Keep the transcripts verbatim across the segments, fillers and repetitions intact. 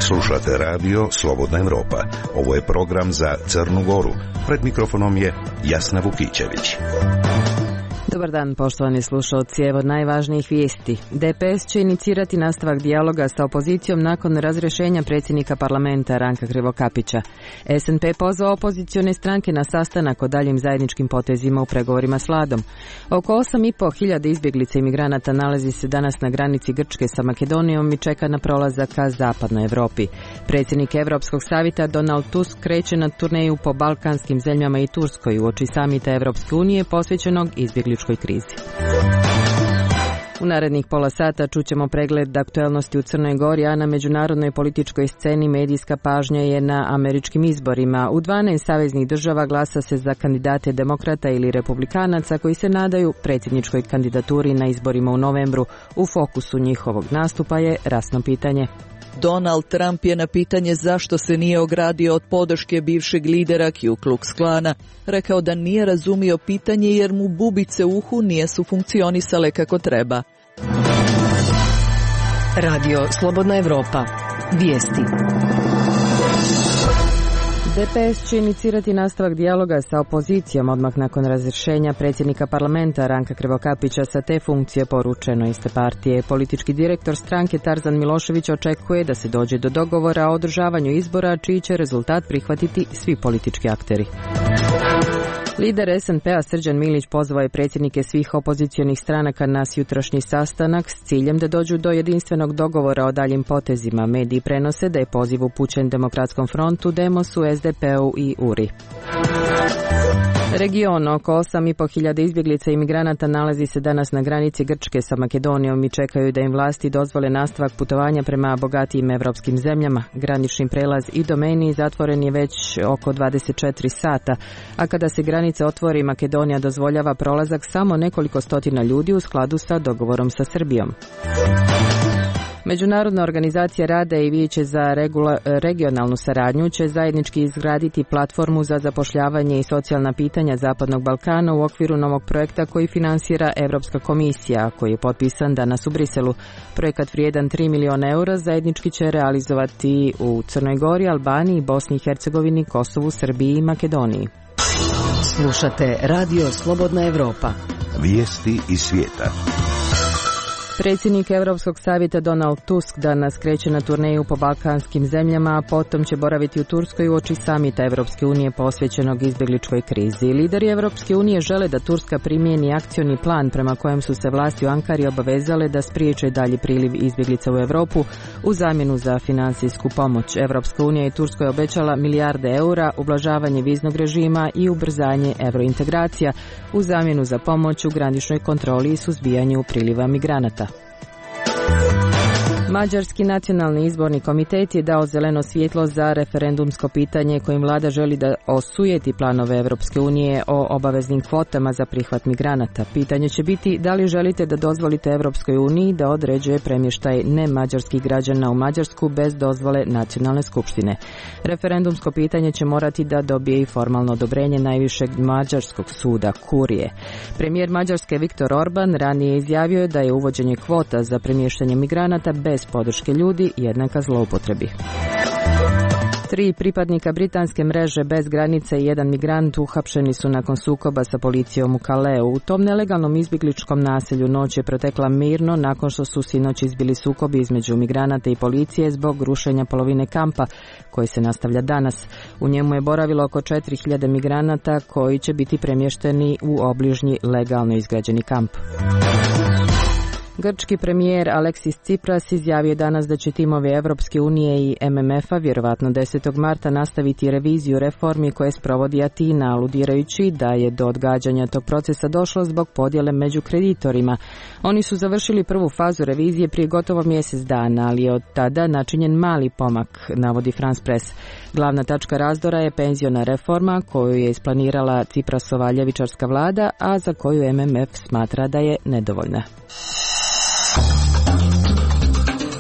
Slušate radio Slobodna Evropa. Ovo je program za Crnu Goru. Pred mikrofonom je Jasna Vukićević. Dobar dan, poštovani slušalci, evo najvažnijih vijesti. D P S će inicirati nastavak dijaloga sa opozicijom nakon razrješenja predsjednika parlamenta Ranka Krivokapića. S N P pozvao opozicione stranke na sastanak o daljim zajedničkim potezima u pregovorima s vladom. Oko osam i pol hiljada izbjeglica i migranata nalazi se danas na granici Grčke sa Makedonijom i čeka na prolazak ka zapadnoj Europi. Predsjednik Europskog savjeta Donald Tusk kreće na turneju po balkanskim zemljama i Turskoj uoči samita Europske unije posvećenog izbjegličkoj krizi. U narednih pola sata čućemo pregled aktuelnosti u Crnoj Gori, a na međunarodnoj političkoj sceni medijska pažnja je na američkim izborima. U dvanaest saveznih država glasa se za kandidate demokrata ili republikanaca koji se nadaju predsjedničkoj kandidaturi na izborima u novembru. U fokusu njihovog nastupa je rasno pitanje. Donald Trump je na pitanje zašto se nije ogradio od podrške bivšeg lidera Ku Klux Klana rekao da nije razumio pitanje jer mu bubice u uhu nisu funkcionisale kako treba. Radio Slobodna Evropa. Vijesti. D P S će inicirati nastavak dijaloga sa opozicijom odmah nakon razrješenja predsjednika parlamenta Ranka Krivokapića sa te funkcije, poručeno iste partije. Politički direktor stranke Tarzan Milošević očekuje da se dođe do dogovora o održavanju izbora čiji će rezultat prihvatiti svi politički akteri. Lider S N P-a Srđan Milić pozvao je predsjednike svih opozicionih stranaka na jutrašnji sastanak s ciljem da dođu do jedinstvenog dogovora o daljim potezima. Mediji prenose da je poziv upućen Demokratskom frontu, Demosu, S D P-u i U R I. Region oko osam i pol hiljada izbjeglica i migranata nalazi se danas na granici Grčke sa Makedonijom i čekaju da im vlasti dozvole nastavak putovanja prema bogatijim evropskim zemljama. Granični prelaz i domeni zatvoren je već oko dvadeset četiri sata, a kada se granica otvori, Makedonija dozvoljava prolazak samo nekoliko stotina ljudi u skladu sa dogovorom sa Srbijom. Međunarodna organizacija rada i Vijeće za regula, regionalnu saradnju će zajednički izgraditi platformu za zapošljavanje i socijalna pitanja Zapadnog Balkana u okviru novog projekta koji finansira Europska komisija, koji je potpisan danas u Briselu. Projekat vrijedan tri miliona eura zajednički će realizovati u Crnoj Gori, Albaniji, Bosni i Hercegovini, Kosovu, Srbiji i Makedoniji. Slušate Radio Slobodna Evropa. Vijesti iz svijeta. Predsjednik Europskog savjeta Donald Tusk danas kreće na turneju po balkanskim zemljama, a potom će boraviti u Turskoj uoči samita Europske unije posvećenog izbjegličkoj krizi. Lideri Europske unije žele da Turska primijeni akcioni plan prema kojem su se vlasti u Ankari obavezale da spriječe dalji priliv izbjeglica u Europu u zamjenu za financijsku pomoć. Europska unija je Turskoj obećala milijarde eura, ublažavanje viznog režima i ubrzanje eurointegracija u zamjenu za pomoć u graničnoj kontroli i suzbijanju priliva migranata. Mađarski nacionalni izborni komitet je dao zeleno svjetlo za referendumsko pitanje kojim vlada želi da osujeti planove Europske unije o obaveznim kvotama za prihvat migranata. Pitanje će biti da li želite da dozvolite Europskoj uniji da određuje premještaj nemađarskih građana u Mađarsku bez dozvole nacionalne skupštine. Referendumsko pitanje će morati da dobije i formalno odobrenje najvišeg mađarskog suda, Kurije. Premijer Mađarske Viktor Orban ranije izjavio je da je uvođenje kvota za premještanje migranata bez podrške ljudi jednaka zloupotrebi. Tri pripadnika britanske mreže bez granice i jedan migrant uhapšeni su nakon sukoba sa policijom u Kaleu. U tom nelegalnom izbjegličkom naselju noć je protekla mirno nakon što su sinoć izbili sukobi između migranata i policije zbog rušenja polovine kampa koji se nastavlja danas. U njemu je boravilo oko četiri hiljade migranata koji će biti premješteni u obližnji legalno izgrađeni kamp. Grčki premijer Aleksis Tsipras izjavio danas da će timovi Evropske unije i M M F-a vjerovatno desetog marta nastaviti reviziju reformi koje sprovodi Atina, aludirajući da je do odgađanja tog procesa došlo zbog podjele među kreditorima. Oni su završili prvu fazu revizije prije gotovo mjesec dana, ali je od tada načinjen mali pomak, navodi France Press. Glavna tačka razdora je penziona reforma koju je isplanirala Tsiprasova ljevičarska vlada, a za koju M M F smatra da je nedovoljna.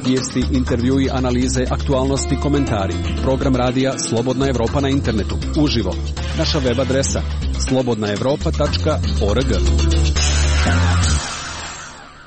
Vijesti, intervjui, analize, aktualnosti, komentari. Program radija Slobodna Evropa na internetu. Uživo. Naša web adresa slobodna evropa tačka org.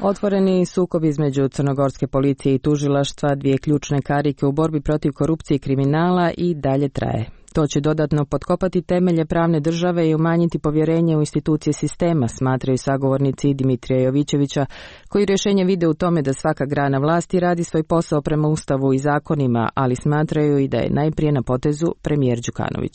Otvoreni sukob između crnogorske policije i tužilaštva, dvije ključne karike u borbi protiv korupcije i kriminala, i dalje traje. To će dodatno potkopati temelje pravne države i umanjiti povjerenje u institucije sistema, smatraju sagovornici Dimitrija Jovićevića, koji rješenje vide u tome da svaka grana vlasti radi svoj posao prema Ustavu i zakonima, ali smatraju i da je najprije na potezu premijer Đukanović.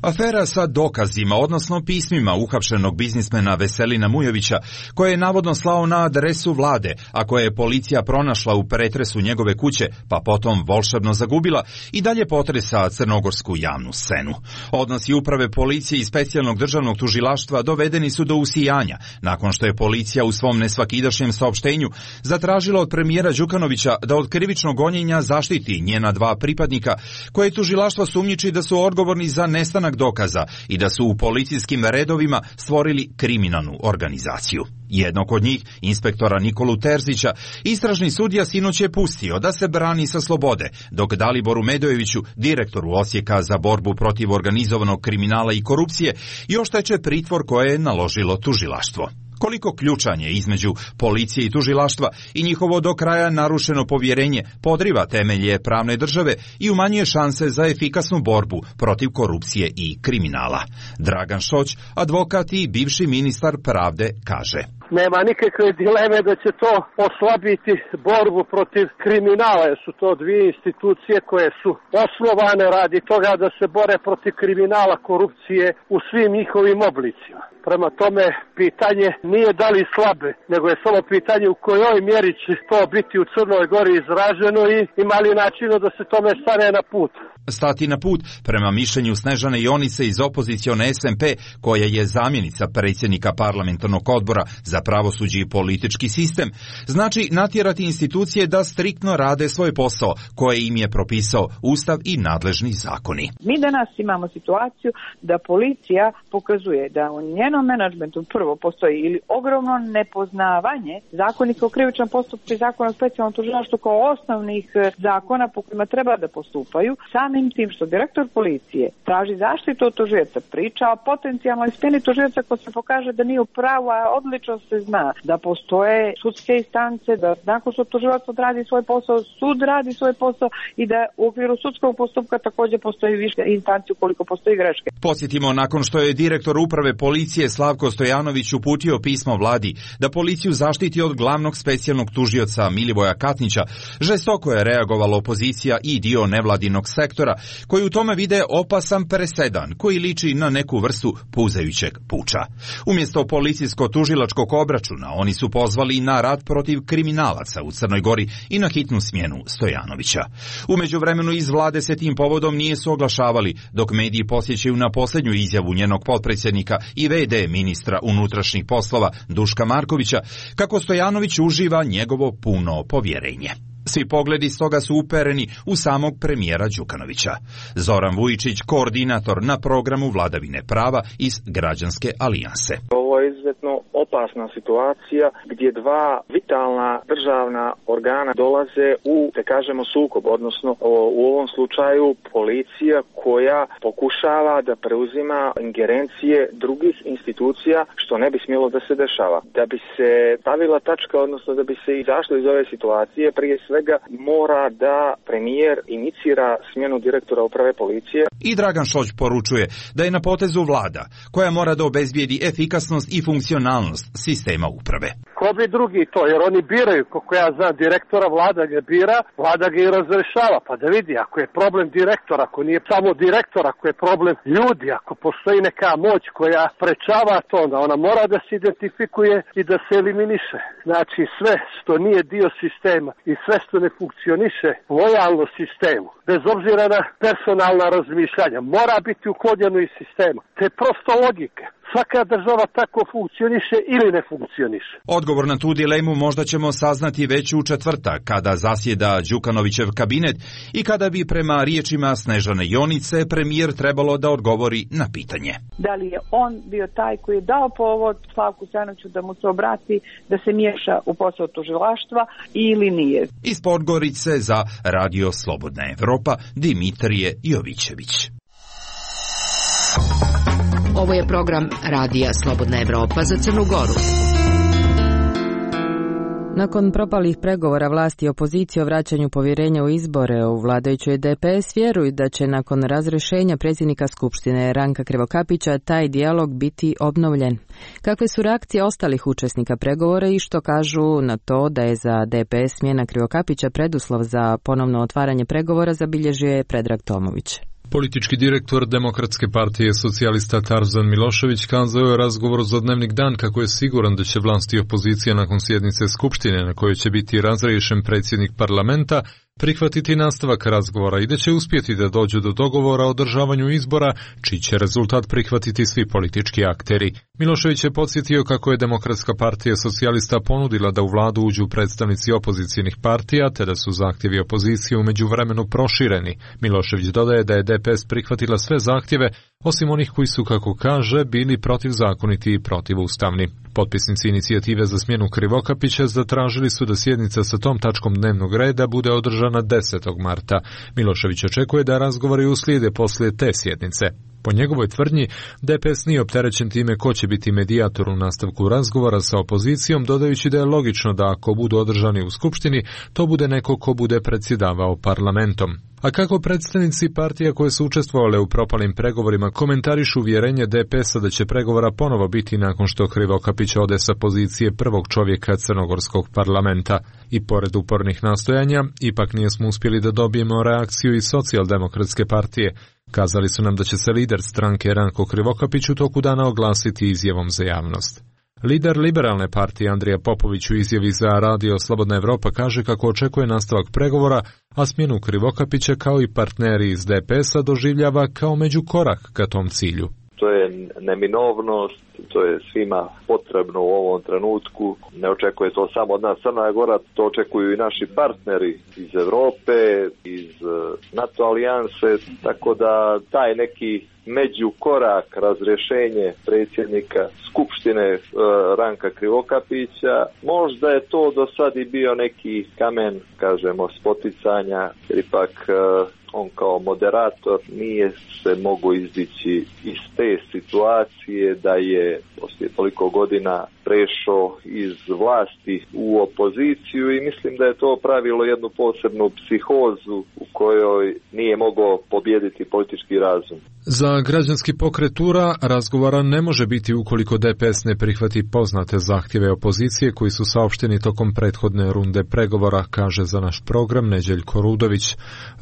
Afera sa dokazima, odnosno pismima uhapšenog biznismena Veselina Mujovića, koje je navodno slao na adresu vlade, a koje je policija pronašla u pretresu njegove kuće, pa potom volšebno zagubila, i dalje potresa crnogorsku javnu scenu. Odnosi uprave policije i specijalnog državnog tužilaštva dovedeni su do usijanja, nakon što je policija u svom nesvakidašnjem saopštenju zatražila od premijera Đukanovića da od krivičnog gonjenja zaštiti njena dva pripadnika, koje tužilaštvo sumnjiči da su odgovorni za nestanak dokaza i da su u policijskim redovima stvorili kriminalnu organizaciju. Jednog od njih, inspektora Nikolu Terzića, istražni sudija sinoć je pustio da se brani sa slobode, dok Daliboru Medojeviću, direktoru Osijeka za borbu protiv organizovanog kriminala i korupcije, još teče pritvor koje je naložilo tužilaštvo. Koliko ključanje između policije i tužilaštva i njihovo do kraja narušeno povjerenje podriva temelje pravne države i umanjuje šanse za efikasnu borbu protiv korupcije i kriminala. Dragan Šoć, advokat i bivši ministar pravde, kaže: Nema nikakve dileme da će to oslabiti borbu protiv kriminala, jer su to dvije institucije koje su osnovane radi toga da se bore protiv kriminala, korupcije u svim njihovim oblicima. Prema tome, pitanje nije da li slabe, nego je samo pitanje u kojoj mjeri će to biti u Crnoj Gori izraženo i ima li načina da se tome stane na put. Stati na put, prema mišljenju Snežane Jonice iz opozicione S M P, koja je zamjenica predsjednika parlamentarnog odbora za pravosuđe i politički sistem, znači natjerati institucije da striktno rade svoj posao koje im je propisao Ustav i nadležni zakoni. Mi danas imamo situaciju da policija pokazuje da u njenom menadžmentu prvo postoji ili ogromno nepoznavanje zakonika o krivičnom postupku i zakona o specijalnom tužilaštvu kao osnovnih zakona po kojima treba da postupaju. Samim tim što direktor policije traži zaštitu od tužioca, priča o potencijalnoj smjeni tužioca ko se pokaže da nije u pravu, a odlično se zna da postoje sudske instance, da nakon što tužilac odradi svoj posao, sud radi svoj posao i da u okviru sudskog postupka također postoji više instanci ukoliko postoji greške. Podsjetimo, nakon što je direktor uprave policije Slavko Stojanović uputio pismo vladi da policiju zaštiti od glavnog specijalnog tužioca Milivoja Katnića, žestoko je reagovala opozicija i dio nevladinog sektora, koji u tome vide opasan presedan koji liči na neku vrstu puzajućeg puča. Umjesto policijsko-tužilačkog obračuna, oni su pozvali na rat protiv kriminalaca u Crnoj Gori i na hitnu smjenu Stojanovića. U međuvremenu iz vlade se tim povodom nije su oglašavali, dok mediji posjećaju na posljednju izjavu njenog potpredsjednika i ve de ministra unutrašnjih poslova Duška Markovića, kako Stojanović uživa njegovo puno povjerenje. Svi pogledi stoga su upereni u samog premijera Đukanovića. Zoran Vujičić, koordinator na programu vladavine prava iz Građanske alijanse. Ovo je izuzetno opasna situacija gdje dva vitalna državna organa dolaze u, da kažemo, sukob, odnosno u ovom slučaju policija koja pokušava da preuzima ingerencije drugih institucija, što ne bi smjelo da se dešava. Da bi se stavila tačka, odnosno da bi se izašlo iz ove situacije, prije svega mora da premijer inicira smjenu direktora uprave policije. I Dragan Šoć poručuje da je na potezu vlada koja mora da obezbijedi efikasnost i funkcionalnost sistema uprave. Ko bi drugi to, jer oni biraju, kako ja znam, direktora, vlada ga bira, vlada ga i razrešava, pa da vidi ako je problem direktora, ako nije samo direktor, ako je problem ljudi, ako postoji neka moć koja sprečava to, onda ona mora da se identifikuje i da se eliminiše. Znači sve što nije dio sistema i sve što ne funkcioniše lojalno sistemu, bez obzira na personalna razmišljanja, mora biti uklonjeno iz sistema. To je prosto logika. Svaka država tako funkcioniše ili ne funkcioniše. Odgovor na tu dilemu možda ćemo saznati već u četvrtak, kada zasjeda Đukanovićev kabinet i kada bi prema riječima Snežane Jonice premijer trebalo da odgovori na pitanje. Da li je on bio taj koji je dao povod Slavku Stojanoviću da mu se obrati, da se miješa u posao tužilaštva ili nije? Iz Podgorice za Radio Slobodna Evropa, Dimitrije Jovićević. Ovo je program Radija Slobodna Evropa za Crnu Goru. Nakon propalih pregovora vlasti i opozicije o vraćanju povjerenja u izbore u vladajućoj D P S vjeruju da će nakon razrješenja predsjednika Skupštine Ranka Krivokapića taj dijalog biti obnovljen. Kakve su reakcije ostalih učesnika pregovora i što kažu na to da je za D P S smjena Krivokapića preduslov za ponovno otvaranje pregovora, zabilježio je Predrag Tomović. Politički direktor Demokratske partije socijalista Tarzan Milošević kazao je u razgovoru za Dnevnik Dan kako je siguran da će vlast i opozicija nakon sjednice Skupštine na kojoj će biti razriješen predsjednik parlamenta prihvatiti nastavak razgovora i da će uspjeti da dođu do dogovora o održavanju izbora, čiji će rezultat prihvatiti svi politički akteri. Milošević je podsjetio kako je Demokratska partija socijalista ponudila da u vladu uđu predstavnici opozicijnih partija, te da su zahtjevi opozicije u međuvremenu prošireni. Milošević dodaje da je D P S prihvatila sve zahtjeve, osim onih koji su, kako kaže, bili protivzakoniti i protivustavni. Potpisnici inicijative za smjenu Krivokapića zatražili su da sjednica sa tom tačkom dnevnog reda bude održana desetog marta. Milošević očekuje da razgovori uslijede poslije te sjednice. Po njegovoj tvrdnji, D P S nije opterećen time ko će biti medijator u nastavku razgovora sa opozicijom, dodajući da je logično da ako budu održani u Skupštini, to bude neko ko bude predsjedavao parlamentom. A kako predstavnici partija koje su učestvovale u propalim pregovorima komentarišu uvjerenje D P S-a da će pregovora ponovo biti nakon što Krivokapić ode sa pozicije prvog čovjeka crnogorskog parlamenta. I pored upornih nastojanja, ipak nismo uspjeli da dobijemo reakciju iz socijaldemokratske partije. Kazali su nam da će se lider stranke Ranko Krivokapić u toku dana oglasiti izjavom za javnost. Lider liberalne partije Andrija Popović u izjavi za Radio Slobodna Evropa kaže kako očekuje nastavak pregovora, a smjenu Krivokapića kao i partneri iz D P S-a doživljava kao međukorak ka tom cilju. To je neminovnost, to je svima potrebno u ovom trenutku. Ne očekuje to samo od nas Crna Gora, to očekuju i naši partneri iz Europe, iz NATO alijanse, tako da taj neki međukorak, razrješenje predsjednika Skupštine e, Ranka Krivokapića, možda je to do sad i bio neki kamen, kažemo, spoticanja, jer ipak e, on kao moderator nije se mogao izdići iz te situacije da je poslije toliko godina prešao iz vlasti u opoziciju i mislim da je to pravilo jednu posebnu psihozu u kojoj nije mogao pobijediti politički razum. Za građanski pokret U R A razgovora ne može biti ukoliko D P S ne prihvati poznate zahtjeve opozicije koji su saopšteni tokom prethodne runde pregovora, kaže za naš program Neđeljko Rudović.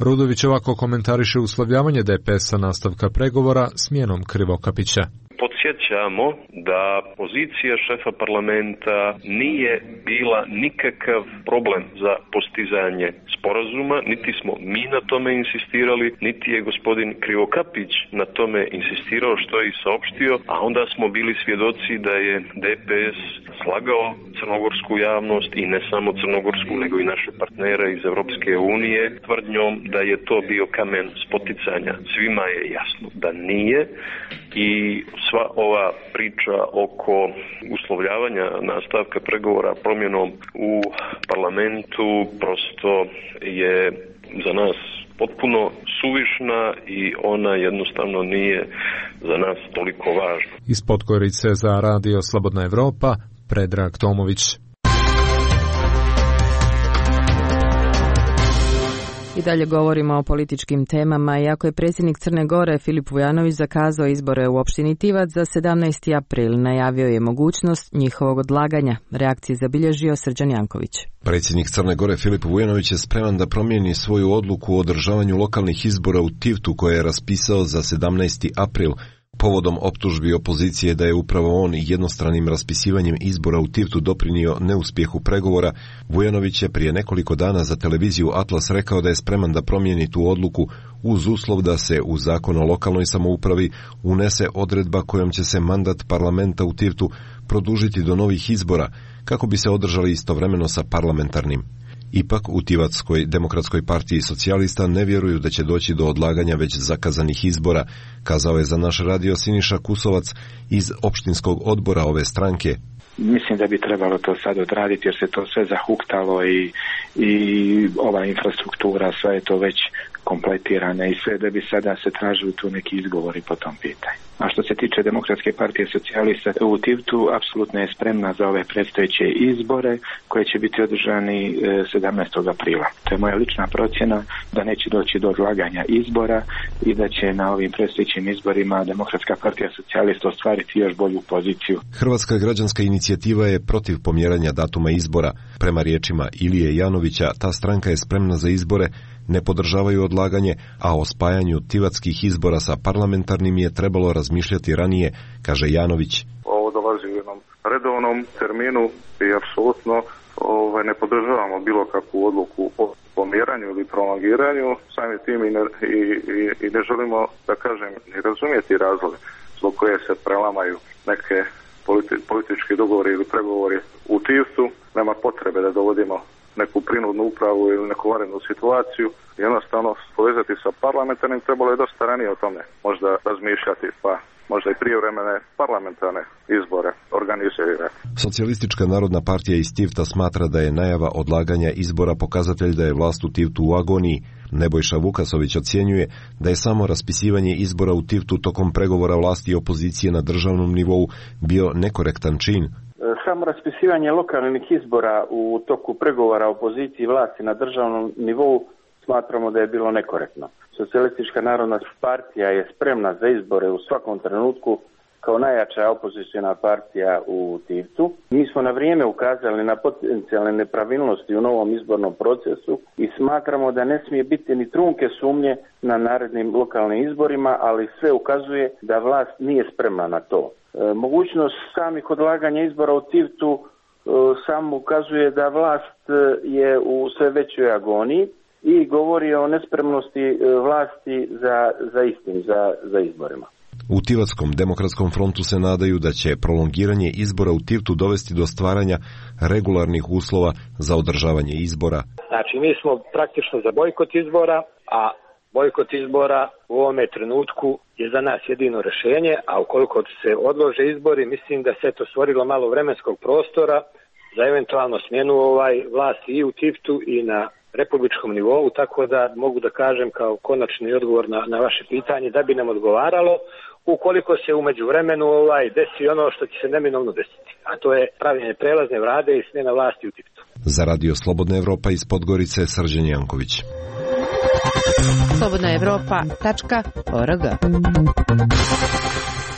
Rudović ovako komentariše uslovljavanje D P S-a nastavka pregovora smjenom Krivokapića. Podsjećamo da pozicija šefa parlamenta nije bila nikakav problem za postizanje sporazuma, niti smo mi na tome insistirali, niti je gospodin Krivokapić na tome insistirao, što je i saopštio, a onda smo bili svjedoci da je D P S slagao crnogorsku javnost i ne samo crnogorsku, nego i naše partnere iz Europske unije tvrdnjom da je to bio kamen spoticanja. Svima je jasno da nije i sva ova priča oko uslovljavanja nastavka pregovora promjenom u parlamentu prosto je za nas potpuno suvišna i ona jednostavno nije za nas toliko važna. Iz Podgorice za Radio Slobodna Evropa, Predrag Tomović. I dalje govorimo o političkim temama. Iako je predsjednik Crne Gore Filip Vujanović zakazao izbore u opštini Tivac za sedamnaesti april, najavio je mogućnost njihovog odlaganja. Reakcije zabilježio Srđan Janković. Predsjednik Crne Gore Filip Vujanović je spreman da promijeni svoju odluku o održavanju lokalnih izbora u Tivtu koje je raspisao za sedamnaesti april. Povodom optužbi opozicije da je upravo on jednostranim raspisivanjem izbora u Tivtu doprinio neuspjehu pregovora, Vujanović je prije nekoliko dana za televiziju Atlas rekao da je spreman da promijeni tu odluku uz uslov da se u zakon o lokalnoj samoupravi unese odredba kojom će se mandat parlamenta u Tivtu produžiti do novih izbora kako bi se održali istovremeno sa parlamentarnim. Ipak u Tivatskoj demokratskoj partiji socijalista ne vjeruju da će doći do odlaganja već zakazanih izbora, kazao je za naš radio Siniša Kusovac iz opštinskog odbora ove stranke. Mislim da bi trebalo to sad odraditi jer se to sve zahuktalo i, i ova infrastruktura, sve je to već kompletirane i sve da bi sada se tražili tu neki izgovori po tom pitanju. A što se tiče Demokratske partije socijalista u Tivtu, apsolutno je spremna za ove predstojeće izbore koje će biti održani sedamnaestog aprila. To je moja lična procjena da neće doći do odlaganja izbora i da će na ovim predstojećim izborima Demokratska partija socijalista ostvariti još bolju poziciju. Hrvatska građanska inicijativa je protiv pomjeranja datuma izbora. Prema riječima Ilije Janovića, ta stranka je spremna za izbore, ne podržavaju odlaganje, a o spajanju tivatskih izbora sa parlamentarnim je trebalo razmišljati ranije, kaže Janović. Ovo dolazi u jednom redovnom terminu i apsolutno ovaj, ne podržavamo bilo kakvu odluku o pomjeranju ili prolongiranju, samim tim i ne, i, i, i ne želimo, da kažem, ni razumjeti razloge zbog koje se prelamaju neke politi, politički dogovori ili pregovori u Tivtu. Nema potrebe da dovodimo neku prinudnu upravu ili neku vanrednu situaciju. Jednostavno povezati sa parlamentarnim trebalo je dosta ranije o tome možda razmišljati, pa možda i prijevremene parlamentarne izbore organizirati. Socijalistička narodna partija iz Tivta smatra da je najava odlaganja izbora pokazatelj da je vlast u Tivtu u agoniji. Nebojša Vukasović ocjenjuje da je samo raspisivanje izbora u Tivtu tokom pregovora vlasti i opozicije na državnom nivou bio nekorektan čin. Samo raspisivanje lokalnih izbora u toku pregovora opoziciji i vlasti na državnom nivou smatramo da je bilo nekorektno. Socijalistička narodna partija je spremna za izbore u svakom trenutku kao najjača opoziciona partija u Tivtu. Mi smo na vrijeme ukazali na potencijalne nepravilnosti u novom izbornom procesu i smatramo da ne smije biti ni trunke sumnje na narednim lokalnim izborima, ali sve ukazuje da vlast nije spremna na to. E, mogućnost samih odlaganja izbora u Tivtu e, samo ukazuje da vlast je u sve većoj agoniji i govori o nespremnosti e, vlasti za, za istim, za, za izborima. U Tivatskom demokratskom frontu se nadaju da će prolongiranje izbora u Tivtu dovesti do stvaranja regularnih uslova za održavanje izbora. Znači, mi smo praktično za bojkot izbora, a bojkot izbora u ovome trenutku je za nas jedino rješenje, a ukoliko se odlože izbori, mislim da se to stvorilo malo vremenskog prostora za eventualno smjenu ovaj vlasti i u Tivtu i na republičkom nivou, tako da mogu da kažem kao konačni odgovor na, na vaše pitanje da bi nam odgovaralo ukoliko se u međuvremenu ovaj desi ono što će se neminovno desiti, a to je pravljenje prelazne vlade i smjena vlasti u Tivtu. Za Radio Slobodna Evropa iz Podgorice, Srđan Janković. slobodna evropa tačka org.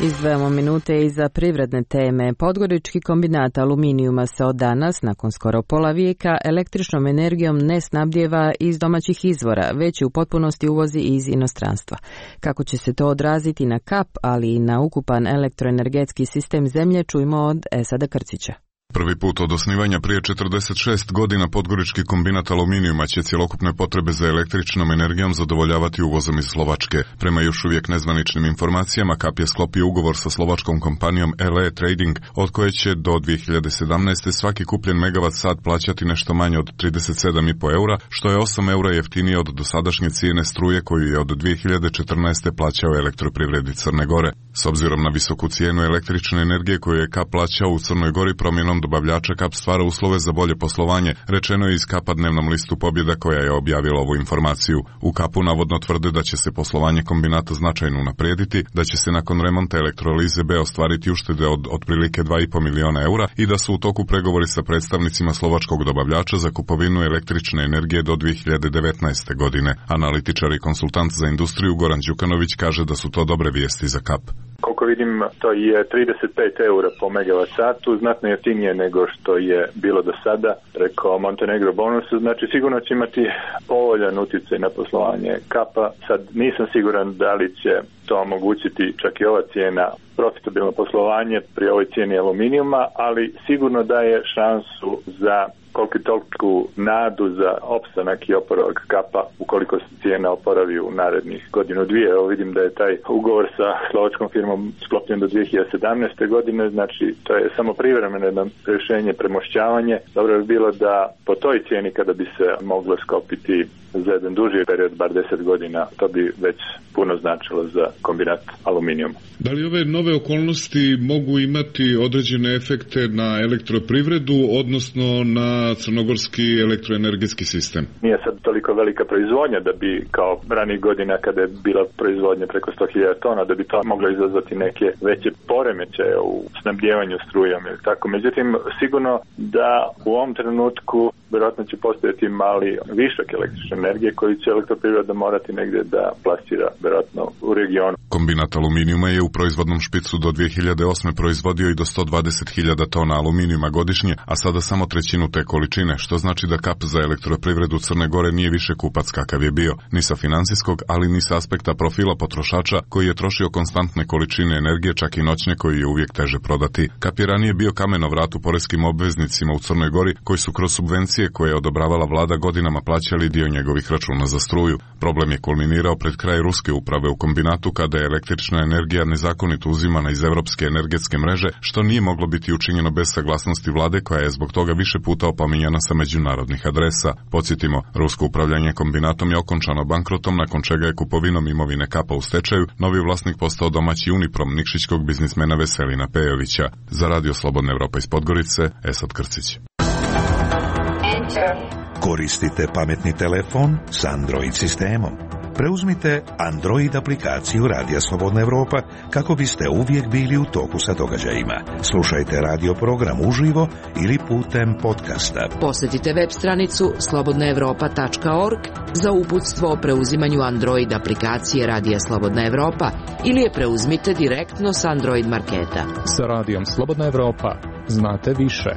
Izdvajamo minute i za privredne teme. Podgorički kombinat aluminijuma se od danas, nakon skoro pola vijeka, električnom energijom ne snabdijeva iz domaćih izvora, već u potpunosti uvozi iz inostranstva. Kako će se to odraziti na kap, ali i na ukupan elektroenergetski sistem zemlje, čujmo od Esada Krcića. Prvi put od osnivanja prije četrdeset šest godina Podgorički kombinat aluminijuma će cjelokupne potrebe za električnom energijom zadovoljavati uvozom iz Slovačke. Prema još uvijek nezvaničnim informacijama, Kap je sklopio ugovor sa slovačkom kompanijom L E Trading, od koje će do dvije hiljade sedamnaeste. svaki kupljen megavat sat plaćati nešto manje od trideset sedam zarez pet eura, što je osam eura jeftinije od dosadašnje cijene struje koju je od dvije hiljade četrnaeste. plaćao Elektroprivredi Crne Gore. S obzirom na visoku cijenu električne energije koju je Kap plaćao u Crnoj Gori, promjenom dobavljača Kap stvara uslove za bolje poslovanje, rečeno je iz Kapa dnevnom listu Pobjeda koja je objavila ovu informaciju. U Kapu navodno tvrde da će se poslovanje kombinata značajno unaprijediti, da će se nakon remonta elektrolize B ostvariti uštede od otprilike dva i pol milijuna eura i da su u toku pregovori sa predstavnicima slovačkog dobavljača za kupovinu električne energije do dvije hiljade devetnaeste. godine. Analitičar i konsultant za industriju Goran Đukanović kaže da su to dobre vijesti za Kap. Koliko vidim, to je trideset pet eura po megavat satu, znatno jeftinije nego što je bilo do sada preko Montenegro bonusu, znači sigurno će imati povoljan utjecaj na poslovanje Kapa. Sad nisam siguran da li će to omogućiti čak i ova cijena profitabilno poslovanje pri ovoj cijeni aluminijuma, ali sigurno daje šansu za koliko toliku nadu za opstanak i oporavak Kapa ukoliko se cijena oporavi u narednih godinu dvije. Evo vidim da je taj ugovor sa slovačkom firmom sklopljen do dvije hiljade sedamnaeste. godine, znači to je samo privremeno jedno rješenje, premošćavanje. Dobro bi bilo da po toj cijeni kada bi se moglo sklopiti za jedan duži period, bar deset godina, to bi već puno značilo za kombinat aluminijuma. Da li ove nove okolnosti mogu imati određene efekte na elektroprivredu, odnosno na na crnogorski elektroenergetski sistem. Nije sad toliko velika proizvodnja da bi kao ranih godina kada je bila proizvodnja preko sto hiljada tona, da bi to moglo izazvati neke veće poremećaje u snabdijevanju strujom ili tako. Međutim, sigurno da u ovom trenutku vjerojatno će postojati mali višak električne energije koji će elektroprivreda morati negdje da plasira vjerojatno u regionu. Kombinat aluminijuma je u proizvodnom špicu do dvije hiljade osme proizvodio i do sto dvadeset hiljada tona aluminijuma godišnje, a sada samo trećinu te količine, što znači da K A P za elektroprivredu Crne Gore nije više kupac kakav je bio, ni sa financijskog, ali ni sa aspekta profila potrošača koji je trošio konstantne količine energije, čak i noćne, koji je uvijek teže prodati. K A P je ranije bio kameno vrat u poreskim obveznicima u Crnoj Gori, koji su kroz subvencije koje je odobravala vlada godinama plaćali dio njegovih računa za struju. Problem je kulminirao pred kraj ruske uprave u kombinatu kada je električna energija nezakonito uzimana iz evropske energetske mreže, što nije moglo biti učinjeno bez saglasnosti vlade koja je zbog toga više puta opominjana sa međunarodnih adresa. Podsjetimo, rusko upravljanje kombinatom je okončano bankrotom, nakon čega je kupovinom imovine K A P-a u stečaju novi vlasnik postao domaći Uniprom nikšićkog biznismena Veselina Pejovića. Za Radio Slobodna Evropa iz Podgorice, Esad Krcić. Koristite pametni telefon s Android sistemom. Preuzmite Android aplikaciju Radija Slobodna Evropa kako biste uvijek bili u toku sa događajima. Slušajte radio program uživo ili putem podcasta. Posjetite web stranicu slobodna evropa tačka org za uputstvo o preuzimanju Android aplikacije Radija Slobodna Evropa ili je preuzmite direktno s Android marketa. Sa Radijom Slobodna Evropa znate više.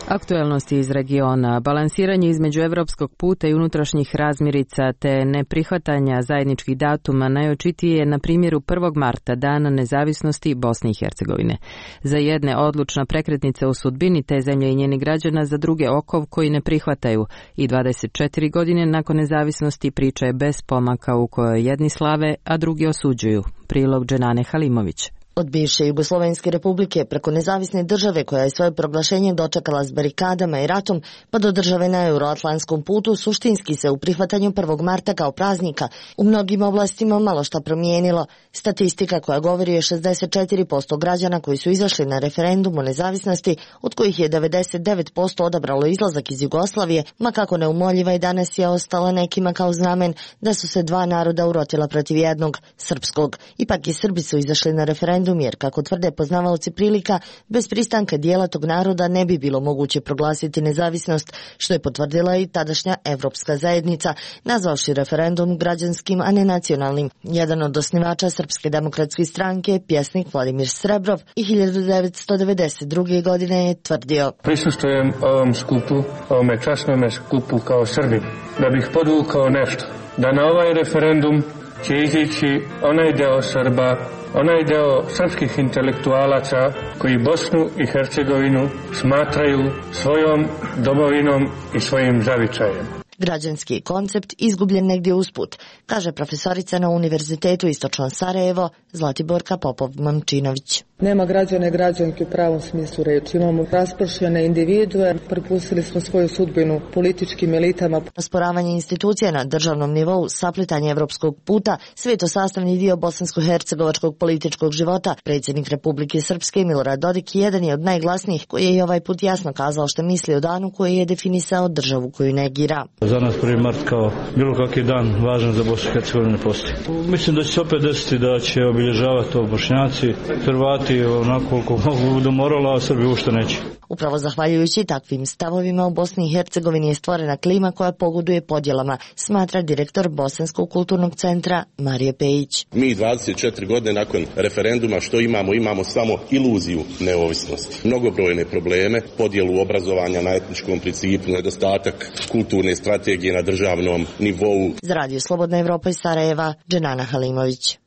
Aktuelnosti iz regiona, balansiranje između evropskog puta i unutrašnjih razmirica te neprihvatanja zajedničkih datuma najočitije je na primjeru prvog marta, dana nezavisnosti Bosne i Hercegovine. Za jedne odlučna prekretnica u sudbini te zemlje i njeni građana, za druge okov koji ne prihvataju i dvadeset četiri godine nakon nezavisnosti priča je bez pomaka u kojoj jedni slave, a drugi osuđuju. Prilog Dženane Halimović. Od bivše Jugoslovenske republike preko nezavisne države koja je svoje proglašenje dočekala s barikadama i ratom, pa do države na euroatlantskom putu, suštinski se u prihvatanju prvog marta kao praznika u mnogim oblastima malo šta promijenilo. Statistika koja govori je šezdeset četiri posto građana koji su izašli na referendum o nezavisnosti, od kojih je devedeset devet posto odabralo izlazak iz Jugoslavije, ma kako neumoljiva i danas je ostala nekima kao znamen da su se dva naroda urotila protiv jednog, srpskog. Ipak i Srbi su izašli na referendum jer, kako tvrde poznavaoci prilika, bez pristanka dijela tog naroda ne bi bilo moguće proglasiti nezavisnost, što je potvrdila i tadašnja Evropska zajednica, nazvavši referendum građanskim, a ne nacionalnim. Jedan od osnivača Srpske demokratske stranke, pjesnik Vladimir Srebrov, i hiljadu devetsto devedeset druge. godine je tvrdio: Prisustujem ovom skupu, ovome časnome skupu kao Srbin, da bih podvukao nešto, da na ovaj referendum će izići onaj deo Srba, onaj deo srpskih intelektualaca koji Bosnu i Hercegovinu smatraju svojom domovinom i svojim zavičajem. Građanski koncept izgubljen negdje usput, kaže profesorica na Univerzitetu Istočno Sarajevo Zlatiborka Popov-Mamčinović. Nema građana i građanki u pravom smislu reči. Imamo raspršene individue, prepustili smo svoju sudbinu političkim elitama. Osporavanje institucija na državnom nivou, saplitanje evropskog puta, sve je to sastavni dio bosansko-hercegovačkog političkog života. Predsjednik Republike Srpske Milorad Dodik jedan je od najglasnijih koji je i ovaj put jasno kazao što misli o danu koji je definisao državu koju negira. Za nas prvi mart kao bilo kakvi dan važan za Bosnu i Hercegovinu ne postoji. Mislim da će se opet desiti da će obilježavati to Bošnjaci, Hrvati onako koliko mogu do morala, a Srbi ušte neće. Upravo zahvaljujući takvim stavovima u Bosni i Hercegovini je stvorena klima koja pogoduje podjelama, smatra direktor Bosanskog kulturnog centra Marije Pejić. Mi dvadeset četiri godine nakon referenduma što imamo? Imamo samo iluziju neovisnosti. Mnogobrojne probleme, podjelu obrazovanja na etničkom principu, nedostatak kulturne strategije na državnom nivou. Za Radio Slobodna Evropa iz Sarajeva, Dženana Halimović.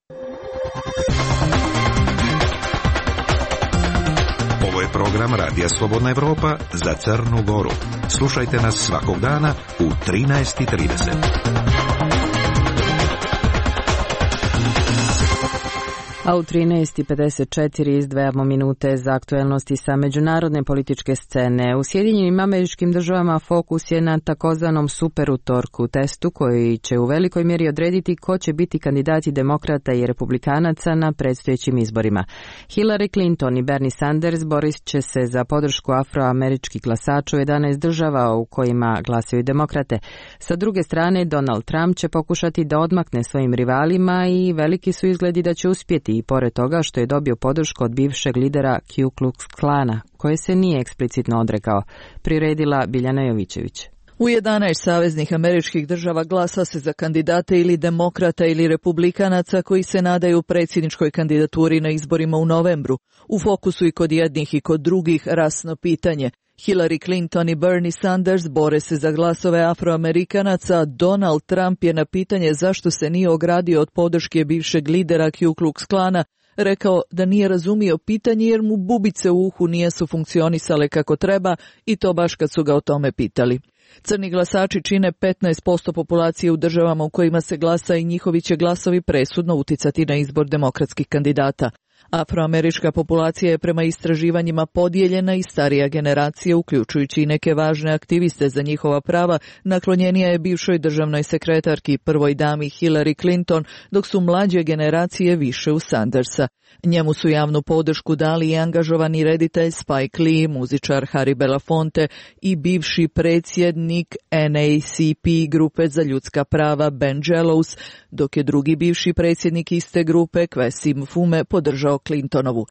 Ovo je program Radija Slobodna Evropa za Crnu Goru. Slušajte nas svakog dana u trinaest i trideset. A u trinaest i pedeset četiri izdvajamo minute za aktuelnosti sa međunarodne političke scene. U Sjedinjenim Američkim Državama fokus je na takozvanom superutorku testu koji će u velikoj mjeri odrediti ko će biti kandidati demokrata i republikanaca na predstojećim izborima. Hillary Clinton i Bernie Sanders borit će se za podršku afroameričkih glasača u jedanaest država u kojima glasaju demokrate. Sa druge strane, Donald Trump će pokušati da odmakne svojim rivalima i veliki su izgledi da će uspjeti i pored toga što je dobio podršku od bivšeg lidera Ku Klux Klana, koje se nije eksplicitno odrekao, priredila Biljana Jovićević. U jedanaest saveznih američkih država glasa se za kandidate ili demokrata ili republikanaca koji se nadaju predsjedničkoj kandidaturi na izborima u novembru. U fokusu i kod jednih i kod drugih rasno pitanje. Hillary Clinton i Bernie Sanders bore se za glasove afroamerikanaca, Donald Trump je na pitanje zašto se nije ogradio od podrške bivšeg lidera Ku Klux Klana rekao da nije razumio pitanje jer mu bubice u uhu nisu funkcionisale kako treba i to baš kad su ga o tome pitali. Crni glasači čine petnaest posto populacije u državama u kojima se glasa i njihovi će glasovi presudno uticati na izbor demokratskih kandidata. Afroamerička populacija je prema istraživanjima podijeljena i starija generacija, uključujući i neke važne aktiviste za njihova prava, naklonjenija je bivšoj državnoj sekretarki prvoj dami Hillary Clinton, dok su mlađe generacije više u Sandersa. Njemu su javnu podršku dali i angažovani reditelj Spike Lee, muzičar Harry Belafonte i bivši predsjednik N A C P grupe za ljudska prava Ben Jellows, dok je drugi bivši predsjednik iste grupe Kwesi Mfume podržao Clintonovu.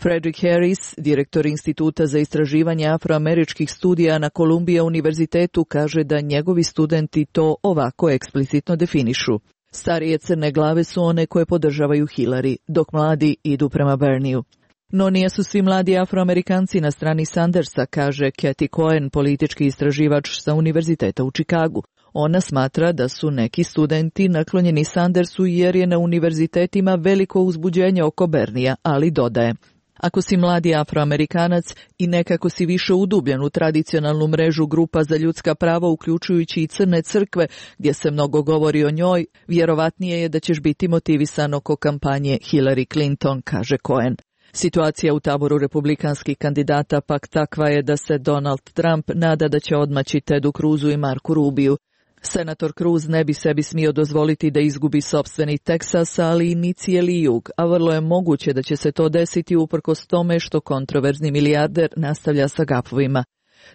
Frederick Harris, direktor Instituta za istraživanje afroameričkih studija na Columbia univerzitetu, kaže da njegovi studenti to ovako eksplicitno definišu. Starije crne glave su one koje podržavaju Hillary, dok mladi idu prema Bernieu. No nijesu svi mladi afroamerikanci na strani Sandersa, kaže Cathy Cohen, politički istraživač sa univerziteta u Čikagu. Ona smatra da su neki studenti naklonjeni Sandersu jer je na univerzitetima veliko uzbuđenje oko Bernija, ali dodaje: ako si mladi afroamerikanac i nekako si više udubljen u tradicionalnu mrežu grupa za ljudska prava, uključujući i crne crkve, gdje se mnogo govori o njoj, vjerovatnije je da ćeš biti motivisan oko kampanje Hillary Clinton, kaže Cohen. Situacija u taboru republikanskih kandidata pak takva je da se Donald Trump nada da će odmaći Tedu Cruzu i Marku Rubiju. Senator Cruz ne bi sebi smio dozvoliti da izgubi sopstveni Teksas, ali ni cijeli jug, a vrlo je moguće da će se to desiti uprkos tome što kontroverzni milijarder nastavlja sa gafovima.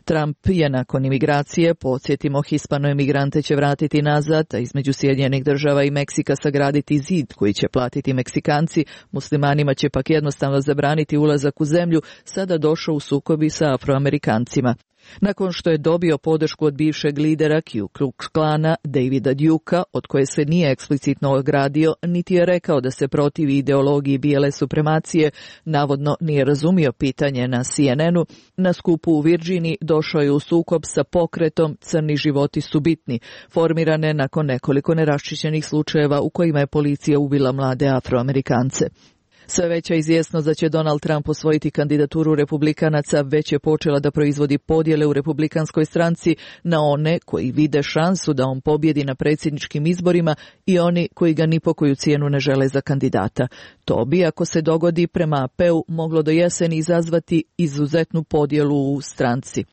Trump je nakon imigracije, podsjetimo, hispano-emigrante će vratiti nazad, a između Sjedinjenih država i Meksika sagraditi zid koji će platiti Meksikanci, muslimanima će pak jednostavno zabraniti ulazak u zemlju, sada došao u sukobi sa Afroamerikancima. Nakon što je dobio podršku od bivšeg lidera Ku Klux Klana, Davida Dukea, od koje se nije eksplicitno ogradio, niti je rekao da se protivi ideologiji bijele supremacije, navodno nije razumio pitanje na C N N-u, na skupu u Virginiji došao je u sukob sa pokretom Crni životi su bitni, formirane nakon nekoliko neraščišćenih slučajeva u kojima je policija ubila mlade Afroamerikance. Sve veća izvjesnost da će Donald Trump osvojiti kandidaturu republikanaca već je počela da proizvodi podjele u republikanskoj stranci na one koji vide šansu da on pobjedi na predsjedničkim izborima i oni koji ga ni po koju cijenu ne žele za kandidata. To bi, ako se dogodi, prema A P-u moglo do jeseni izazvati izuzetnu podjelu u stranci.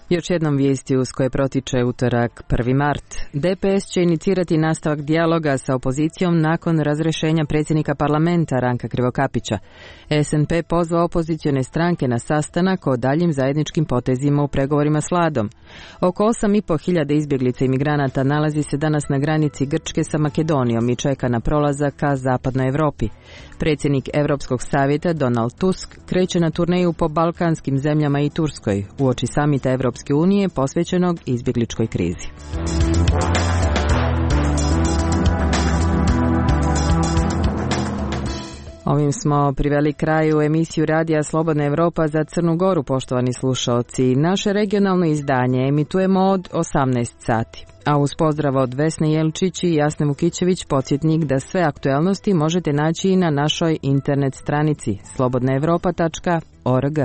Još jednom vijesti uz koje protiče utorak prvi mart. D P S će inicirati nastavak dijaloga sa opozicijom nakon razrješenja predsjednika parlamenta Ranka Krivokapića. S N P pozvao opozicione stranke na sastanak o daljim zajedničkim potezima u pregovorima s vladom. Oko osam i pol hiljade izbjeglica i migranata nalazi se danas na granici Grčke sa Makedonijom i čeka na prolazak ka zapadnoj Europi. Predsjednik Europskog savjeta Donald Tusk kreće na turneju po balkanskim zemljama i Turskoj uoči samita Europske unije posvećenog izbjegličkoj krizi. Ovim smo priveli kraju emisiju Radija Slobodna Evropa za Crnu Goru, poštovani slušaoci. Naše regionalno izdanje emitujemo od osamnaest sati. A uz pozdrav od Vesne Jelčić i Jasne Vukićević, podsjetnik da sve aktuelnosti možete naći i na našoj internet stranici slobodna evropa tačka org.